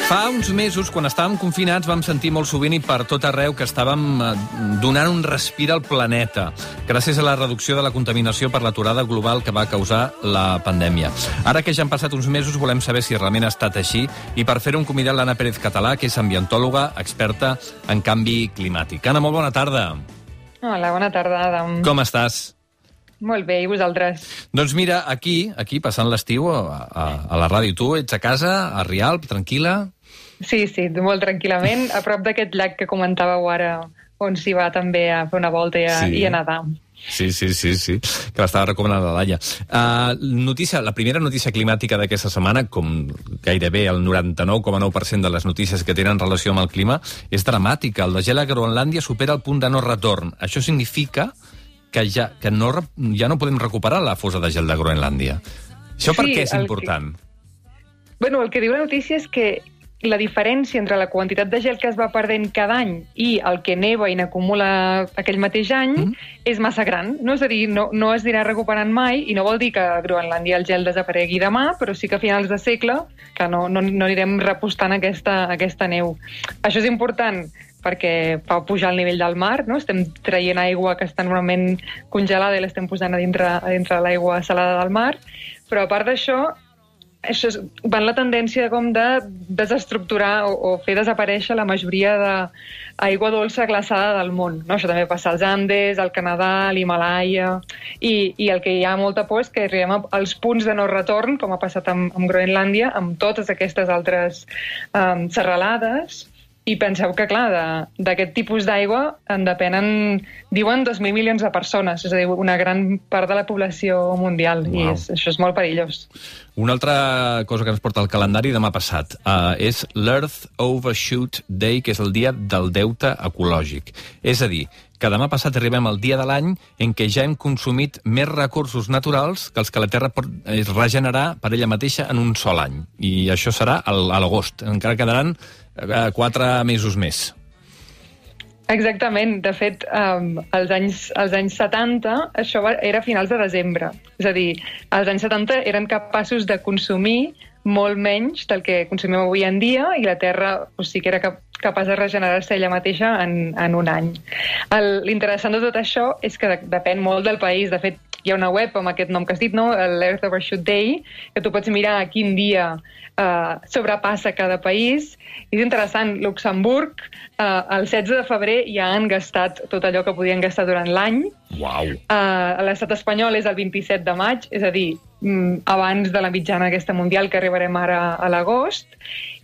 Fa uns mesos, quan estàvem confinats, vam sentir molt sovint i per tot arreu que estàvem donant un respir al planeta, gràcies a la reducció de la contaminació per l'aturada global que va causar la pandèmia. Ara que ja han passat uns mesos, volem saber si realment ha estat així i per fer-ho hem convidat l'Anna Pérez Català, que és ambientòloga, experta en canvi climàtic. Anna, molt bona tarda. Hola, bona tarda, Adam. Com estàs? Molt bé, i vosaltres? Doncs mira, aquí passant l'estiu a la ràdio. Tu ets a casa, a Rialp, tranquil·la? Sí, molt tranquil·lament, a prop d'aquest llac que comentàveu ara, on s'hi va també a fer una volta i a nedar. Sí, que l'estava recomanant la Laia. La primera notícia climàtica d'aquesta setmana, com gairebé el 99,9% de les notícies que tenen relació amb el clima, és dramàtica. El desgel a Groenlàndia supera el punt de no retorn. Això significa que ja no podem recuperar la fosa de gel de Groenlàndia. Això per què és important? Bueno, el que diu la notícia és que la diferència entre la quantitat de gel que es va perdent cada any i el que neva i n'acumula aquell mateix any és massa gran. No? És a dir, no es dirà recuperant mai, i no vol dir que a Groenlàndia el gel desaparegui demà, però sí que a finals de segle que no anirem repostant aquesta neu. Això és important perquè fa pujar el nivell del mar, no? Estem traient aigua que està normalment congelada i l'estem posant a dintre l'aigua salada del mar, però a part d'això, això va en la tendència com de desestructurar o fer desaparèixer la majoria d'aigua dolça glaçada del món. No? Això també passa als Andes, al Canadà, a l'Himàlaia, i el que hi ha molta por és que arribem als punts de no retorn, com ha passat amb Groenlàndia, amb totes aquestes altres serralades. I penseu que, clar, d'aquest tipus d'aigua en depenen, diuen, 2.000 milions de persones, és a dir, una gran part de la població mundial, i això és molt perillós. Una altra cosa que ens porta al calendari demà passat és l'Earth Overshoot Day, que és el dia del deute ecològic. És a dir, que demà passat arribem al dia de l'any en què ja hem consumit més recursos naturals que els que la Terra pot regenerar per ella mateixa en un sol any. I això serà a l'agost. Encara quedaran 4 mesos més. Exactament. De fet, als anys 70, això era a finals de desembre. És a dir, als anys 70 eren capaços de consumir molt menys del que consumim avui en dia, i la Terra sí que era capaç de regenerar-se ella mateixa en un any. L'interessant de tot això és que depèn molt del país. De fet, hi ha una web amb aquest nom que has dit, no? l'Earth Overshoot Day, que tu pots mirar a quin dia sobrepassa cada país. És interessant, Luxemburg el 16 de febrer ja han gastat tot allò que podien gastar durant l'any. Uau! L'estat espanyol és el 27 de maig, és a dir, abans de la mitjana aquesta mundial que arribarem ara a l'agost,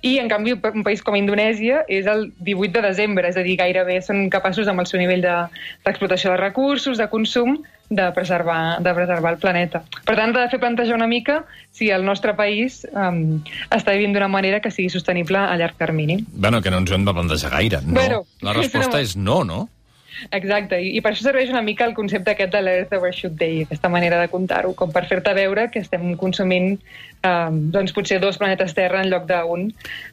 i en canvi un país com Indonèsia és el 18 de desembre, és a dir, gairebé són capaços amb el seu nivell d'explotació de recursos, de consum, de preservar el planeta. Per tant, ha de fer plantejar una mica si el nostre país està vivint d'una manera que sigui sostenible a llarg termini. Bueno, que no ens ho hem de plantejar gaire. No. Bueno, la resposta és no? Exacte, i per això serveix una mica el concepte aquest de l'Earth Overshoot Day, aquesta manera de comptar-ho, com per fer-te veure que estem consumint doncs potser 2 planetes Terra en lloc d'un,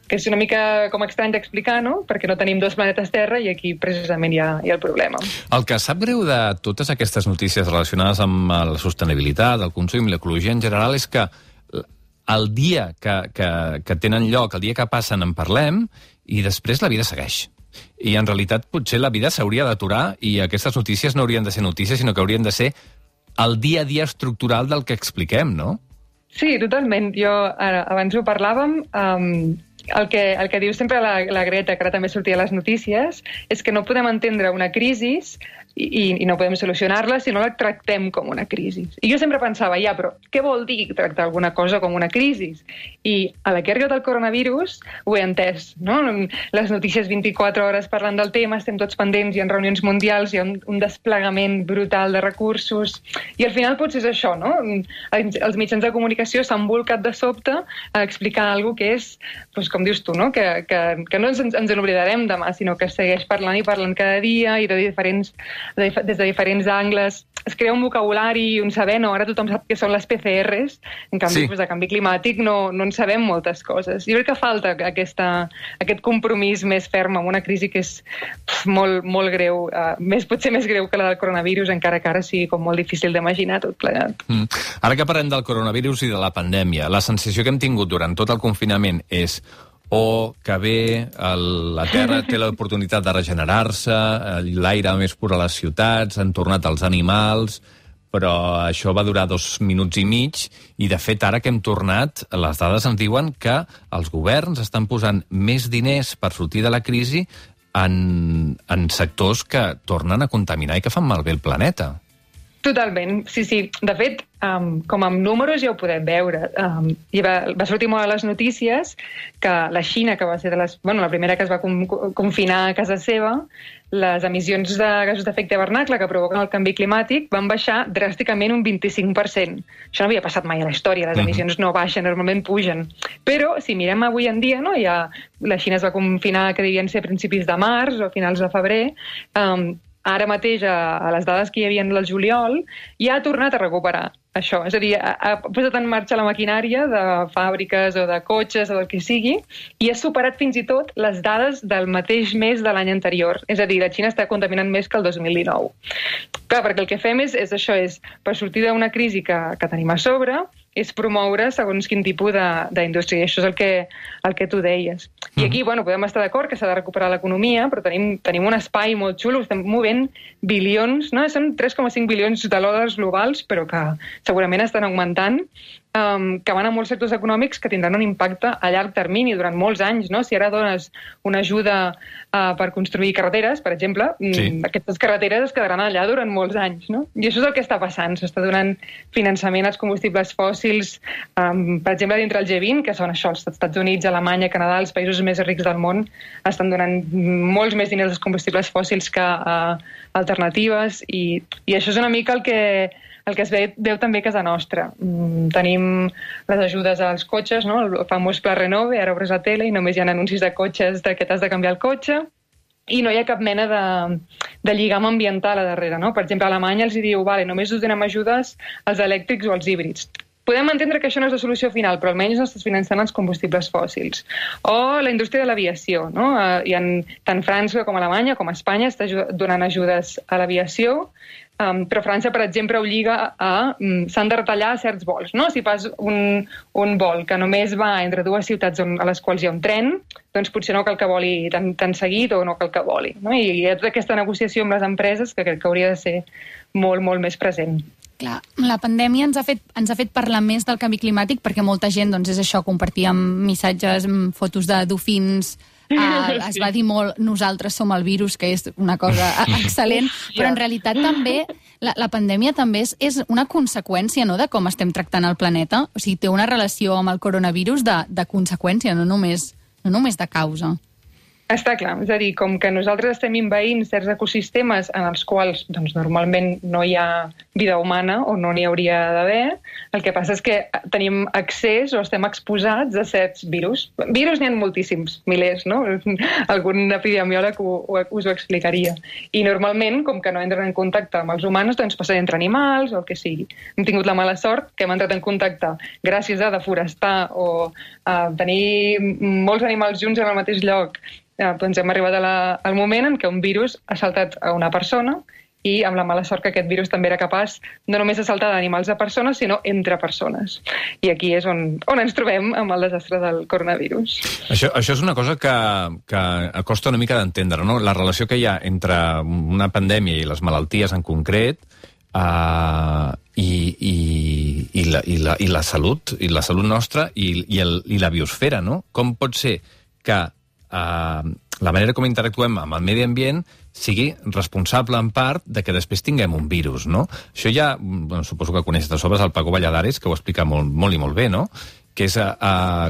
que és una mica com estrany d'explicar, no? Perquè no tenim 2 planetes Terra i aquí precisament hi ha el problema. El que sap greu de totes aquestes notícies relacionades amb la sostenibilitat, el consum i l'ecologia en general és que el dia que tenen lloc, el dia que passen en parlem i després la vida segueix. I en realitat potser la vida s'hauria d'aturar i aquestes notícies no haurien de ser notícies, sinó que haurien de ser el dia a dia estructural del que expliquem, no? Sí, totalment. Abans ho parlàvem, el que diu sempre la Greta, que ara també sortia a les notícies, és que no podem entendre una crisi i no podem solucionar-la si no la tractem com una crisi. I jo sempre pensava, però què vol dir tractar alguna cosa com una crisi? I a la que ha arribat el coronavirus ho he entès, no? Les notícies 24 hores parlant del tema, estem tots pendents, hi ha reunions mundials, hi ha un desplegament brutal de recursos, i al final potser és això, no? Els mitjans de comunicació s'han volcat de sobte a explicar alguna cosa que és, doncs, com dius tu, no? Que no ens n'oblidarem demà, sinó que es segueix parlant i parlant cada dia i des de diferents angles. Es crea un vocabulari i un saber, no? Ara tothom sap què són les PCRs, en canvi, de canvi climàtic no en sabem moltes coses. Jo crec que falta aquest compromís més ferm amb una crisi que és molt, molt greu, potser més greu que la del coronavirus, encara que ara sigui com molt difícil d'imaginar tot plegat. Ara que parlem del coronavirus i de la pandèmia, la sensació que hem tingut durant tot el confinament és o que bé la Terra té l'oportunitat de regenerar-se, l'aire més pur a les ciutats, han tornat els animals, però això va durar 2 minuts i mig, i de fet ara que hem tornat, les dades ens diuen que els governs estan posant més diners per sortir de la crisi en sectors que tornen a contaminar i que fan malbé el planeta. Totalment, sí. De fet, com amb números ja ho podem veure. I va sortir molt a les notícies que la Xina, que va ser la primera que es va confinar a casa seva, les emissions de gasos d'efecte hivernacle que provoquen el canvi climàtic van baixar dràsticament un 25%. Això no havia passat mai a la història, les emissions no baixen, normalment pugen. Però si mirem avui en dia, no, la Xina es va confinar, que devien ser a principis de març o a finals de febrer, ara mateix, a les dades que hi havia del juliol, ja ha tornat a recuperar això. És a dir, ha posat en marxa la maquinària de fàbriques o de cotxes o del que sigui, i ha superat fins i tot les dades del mateix mes de l'any anterior. És a dir, la Xina està contaminant més que el 2019. Clar, perquè el que fem és això, per sortir d'una crisi que tenim a sobre, és promoure segons quin tipus d'indústria, i això és el que tu deies. I aquí, podem estar d'acord que s'ha de recuperar l'economia, però tenim un espai molt xulo, estem movent bilions, no? Són 3,5 bilions de dòlars globals, però que segurament estan augmentant, que van a molts sectors econòmics que tindran un impacte a llarg termini, durant molts anys, no? Si ara dones una ajuda per construir carreteres, per exemple, aquestes carreteres es quedaran allà durant molts anys, no? I això és el que està passant. S'està donant finançament als combustibles fòssils, per exemple, dintre el G20, que són això, els Estats Units, Alemanya, Canadà, els països més rics del món, estan donant molts més diners als combustibles fòssils que a alternatives, i això és una mica el que es veu també a casa nostra. Tenim les ajudes als cotxes, no? El famós Pla Renove, ara obres la tele i només hi ha anuncis de cotxes que t'has de canviar el cotxe, i no hi ha cap mena de lligam ambiental a darrere, no? Per exemple, a Alemanya els diu, només us donem ajudes als elèctrics o als híbrids. Podem entendre que això no és la solució final, però almenys no estàs finançant els combustibles fòssils. O la indústria de l'aviació, no? Tant França com Alemanya com Espanya està donant ajudes a l'aviació, però França, per exemple, obliga s'han de retallar certs vols, no? Si fas un vol que només va entre dues ciutats a les quals hi ha un tren, doncs potser no cal que voli tan seguit o no cal que voli, no? I hi ha tota aquesta negociació amb les empreses que crec que hauria de ser molt, molt més present. Clar, la pandèmia ens ha fet parlar més del canvi climàtic, perquè molta gent, doncs és això, compartíem missatges, fotos de dofins, es va dir molt, nosaltres som el virus, que és una cosa excel·lent, però en realitat també, la pandèmia també és una conseqüència, no?, de com estem tractant el planeta. O sigui, té una relació amb el coronavirus de conseqüència, no només de causa. Està clar, és a dir, com que nosaltres estem envaint certs ecosistemes en els quals doncs, normalment no hi ha vida humana o no n'hi hauria d'haver, el que passa és que tenim accés o estem exposats a certs virus. Virus n'hi ha moltíssims, milers, no? Algun epidemiòleg us ho explicaria. I normalment, com que no entren en contacte amb els humans, doncs passa entre animals o el que sigui. Hem tingut la mala sort que hem entrat en contacte gràcies a deforestar o a tenir molts animals junts en el mateix lloc. Doncs hem arribat al moment en què un virus ha saltat a una persona i amb la mala sort que aquest virus també era capaç no només de saltar d'animals a persones, sinó entre persones. I aquí és on ens trobem amb el desastre del coronavirus. Això és una cosa que costa una mica d'entendre, no? La relació que hi ha entre una pandèmia i les malalties en concret i la salut nostra i la biosfera, no? Com pot ser que la manera com interactuem amb el medi ambient sigui responsable en part de que després tinguem un virus, no? Això ja, suposo que coneixes de sobres el Paco Valladares, que ho explica molt i molt bé, no? Que és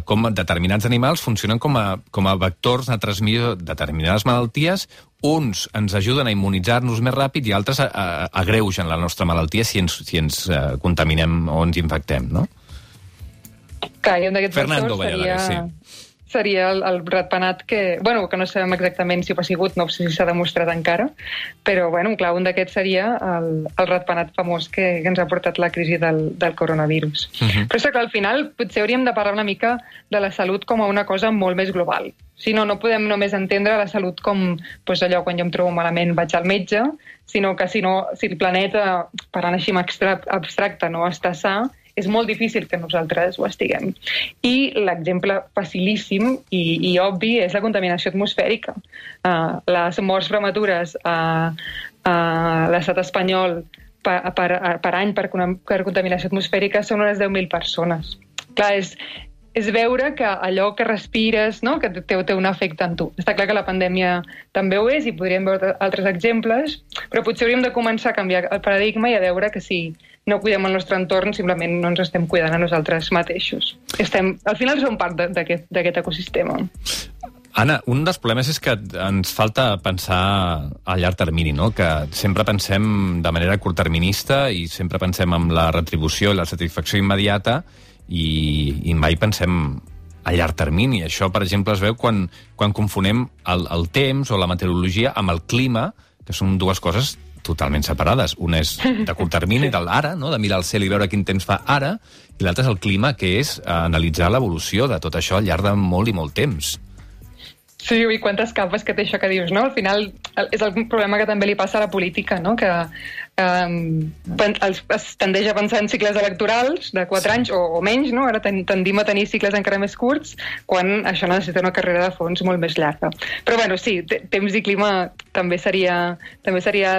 com determinats animals funcionen com a vectors de transmissió de determinades malalties. Uns ens ajuden a immunitzar-nos més ràpid i altres agreugen la nostra malaltia si ens contaminem o ens infectem, no? Clar, i un d'aquests Fernando Valladares, sí. Seria el ratpenat que no sabem exactament si ho ha sigut, no sé si s'ha demostrat encara, però, clar, un d'aquests seria el ratpenat famós que ens ha portat la crisi del coronavirus. Però és que, al final, potser hauríem de parlar una mica de la salut com a una cosa molt més global. Si no podem només entendre la salut com allò, quan jo em trobo malament vaig al metge, sinó que si el planeta, parlant així abstracte, no està sa, és molt difícil que nosaltres ho estiguem. I l'exemple facilíssim i obvi és la contaminació atmosfèrica. Les morts prematures a l'estat espanyol per any per contaminació atmosfèrica són unes 10.000 persones. Clar, és veure que allò que respires, no?, que té un efecte en tu. Està clar que la pandèmia també ho és i podríem veure altres exemples, però potser hauríem de començar a canviar el paradigma i a veure que si no cuidem el nostre entorn, simplement no ens estem cuidant a nosaltres mateixos. Al final som part d'aquest ecosistema. Anna, un dels problemes és que ens falta pensar a llarg termini, no? Que sempre pensem de manera curtterminista i sempre pensem en la retribució i la satisfacció immediata i mai pensem a llarg termini. Això, per exemple, es veu quan confonem el temps o la meteorologia amb el clima, que són dues coses totalment separades. Una és de curt termini, de l'ara, no?, de mirar al cel i veure quin temps fa ara, i l'altra és el clima, que és analitzar l'evolució de tot això al llarg de molt i molt temps. Sí, i quantes capes que té això que dius, no? Al final és el problema que també li passa a la política, no?, que es tendeix a pensar en cicles electorals de 4 anys o menys, no? Ara tendim a tenir cicles encara més curts quan això necessita una carrera de fons molt més llarga. Però bueno, sí, temps i clima també seria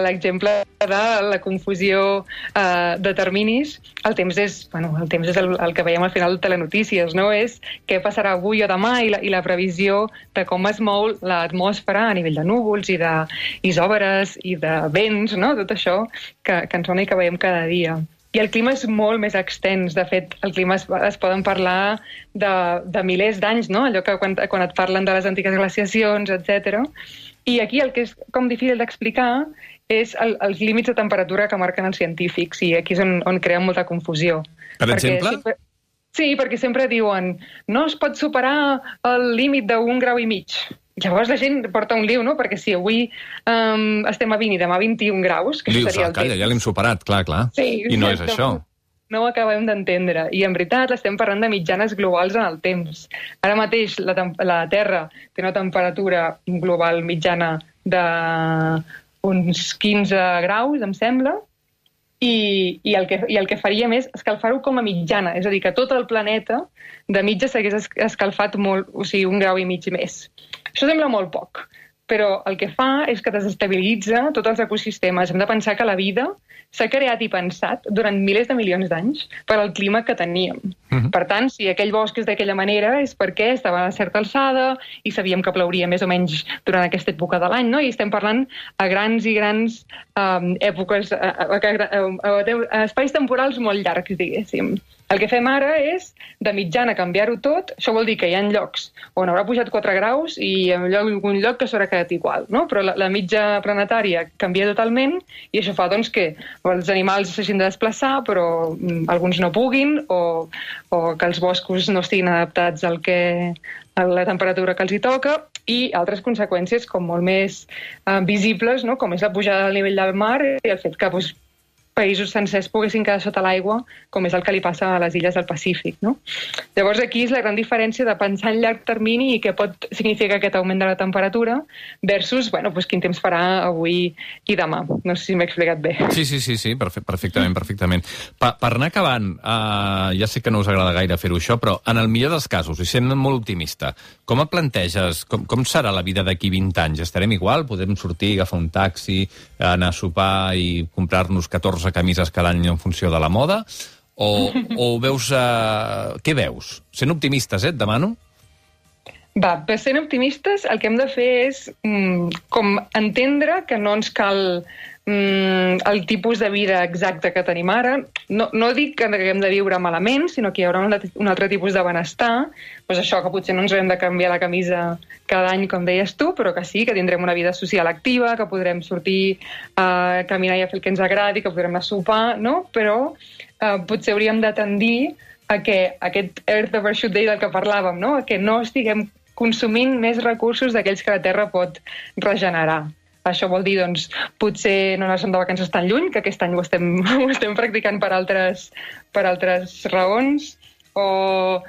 l'exemple de la confusió de terminis. El temps és el que veiem al final de telenotícies, no? És què passarà avui o demà i la previsió de com es mou l'atmosfera a nivell de núvols i d'isòbares i de vents, no? Tot això que ens sona i que veiem cada dia. I el clima és molt més extens. De fet, el clima es poden parlar de milers d'anys, no? Allò que quan et parlen de les antigues glaciacions, etc. I aquí el que és com difícil d'explicar és els límits de temperatura que marquen els científics, i aquí és on creen molta confusió. Per exemple? Sí, perquè sempre diuen no es pot superar el límit d'1,5 graus. Llavors la gent porta un lío, no? Perquè si avui estem a 20 i demà a 21 graus, que seria el temps. Ja l'hem superat, clar. Sí, i no és això. No ho acabem d'entendre. I en veritat estem parlant de mitjanes globals en el temps. Ara mateix la Terra té una temperatura global mitjana d'uns 15 graus, em sembla, i el que faríem és escalfar-ho com a mitjana, és a dir, que tot el planeta de mitja s'hagués escalfat molt, o sigui, 1,5 graus més. Això sembla molt poc, però el que fa és que desestabilitza tots els ecosistemes. Hem de pensar que la vida s'ha creat i pensat durant milers de milions d'anys per al clima que teníem. Per tant, si aquell bosc és d'aquella manera és perquè estava a certa alçada i sabíem que plouria més o menys durant aquesta època de l'any, no? I estem parlant a grans i grans èpoques, a espais temporals molt llargs, diguéssim. El que fem ara és, de mitjana, canviar-ho tot. Això vol dir que hi ha llocs on haurà pujat 4 graus i en algun lloc que s'haurà quedat igual, no? Però la mitja planetària canvia totalment i això fa doncs, que els animals s'hagin de desplaçar, però alguns no puguin, o que els boscos no estiguin adaptats a la temperatura que els hi toca, i altres conseqüències com molt més visibles, no? Com és la pujada del nivell del mar i el fet que països sencers poguessin quedar sota l'aigua, com és el que li passa a les illes del Pacífic, no? Llavors aquí és la gran diferència de pensar en llarg termini i què pot significar aquest augment de la temperatura versus, quin temps farà avui i demà. No sé si m'he explicat bé. Sí, perfectament. Per anar acabant, ja sé que no us agrada gaire fer-ho això, però en el millor dels casos, i sent molt optimista, com et planteges, com serà la vida d'aquí 20 anys? Estarem igual? Podem sortir, agafar un taxi, anar a sopar i comprar-nos 14 camises cada any en funció de la moda? O veus... Què veus? Sent optimistes, et demano? Per sent optimistes, el que hem de fer és com entendre que no ens cal el tipus de vida exacte que tenim ara. No dic que haguem de viure malament, sinó que hi haurà un altre tipus de benestar. Doncs això, que potser no ens haurem de canviar la camisa cada any, com deies tu, però que sí, que tindrem una vida social activa, que podrem sortir a caminar i a fer el que ens agradi, que podrem anar a sopar, no? Però potser hauríem de tendir a que aquest Earth Overshoot Day del que parlàvem, no? A que no estiguem consumint més recursos d'aquells que la Terra pot regenerar. Això vol dir, doncs, potser no anar-se'n de vacances tan lluny, que aquest any ho estem practicant per altres raons, o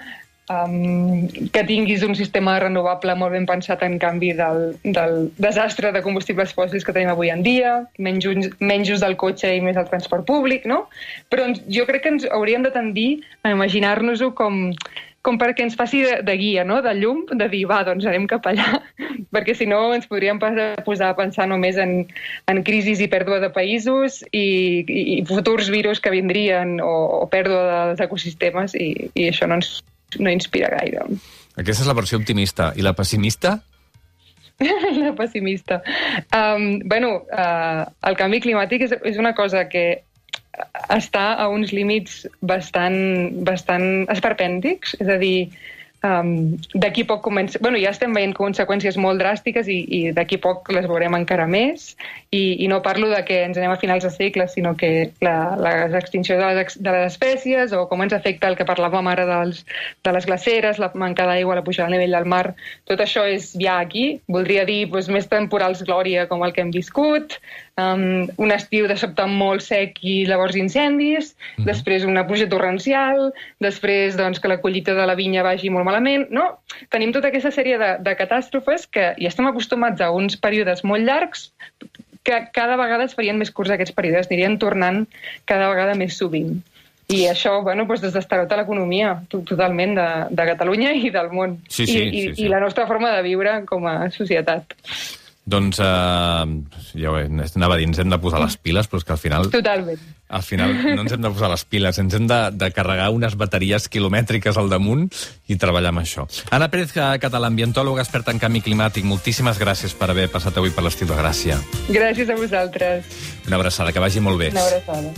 que tinguis un sistema renovable molt ben pensat en canvi del desastre de combustibles fòssils que tenim avui en dia, menys ús del cotxe i més del transport públic, no? Però jo crec que ens hauríem de tendir a imaginar-nos-ho com perquè ens faci de guia, no? De llum, de dir, va, doncs anem cap allà, perquè si no ens podríem posar a pensar només en crisis i pèrdua de països i futurs virus que vindrien o pèrdua dels ecosistemes i això no inspira gaire. Aquesta és la versió optimista. I la pessimista? La pessimista. El canvi climàtic és una cosa que està a uns límits bastant esperpèntics, és a dir, d'aquí poc comença... ja estem veient conseqüències molt dràstiques i d'aquí poc les veurem encara més, i no parlo de que ens anem a finals de segle, sinó que l'extinció de les espècies, o com ens afecta el que parlàvem ara de les glaceres, la manca d'aigua, la pujada del nivell del mar, tot això és ja aquí. Voldria dir més temporals glòria com el que hem viscut, un estiu de sobte molt sec i llavors incendis, després una pluja torrencial, després que la collita de la vinya vagi molt malament, no? Tenim tota aquesta sèrie de catàstrofes que ja estem acostumats a uns períodes molt llargs que cada vegada es farien més curts aquests períodes, anirien tornant cada vegada més sovint. I això, desdestarota l'economia totalment de Catalunya i del món. Sí. I la nostra forma de viure com a societat. Doncs, ja ho anava a dir, ens hem de posar les piles, però és que al final... Totalment. Al final no ens hem de posar les piles, ens hem de carregar unes bateries quilomètriques al damunt i treballar amb això. Anna Pérez Català, ambientòloga experta en canvi climàtic, moltíssimes gràcies per haver passat avui per l'Estil de Gràcia. Gràcies a vosaltres. Una abraçada, que vagi molt bé. Una abraçada.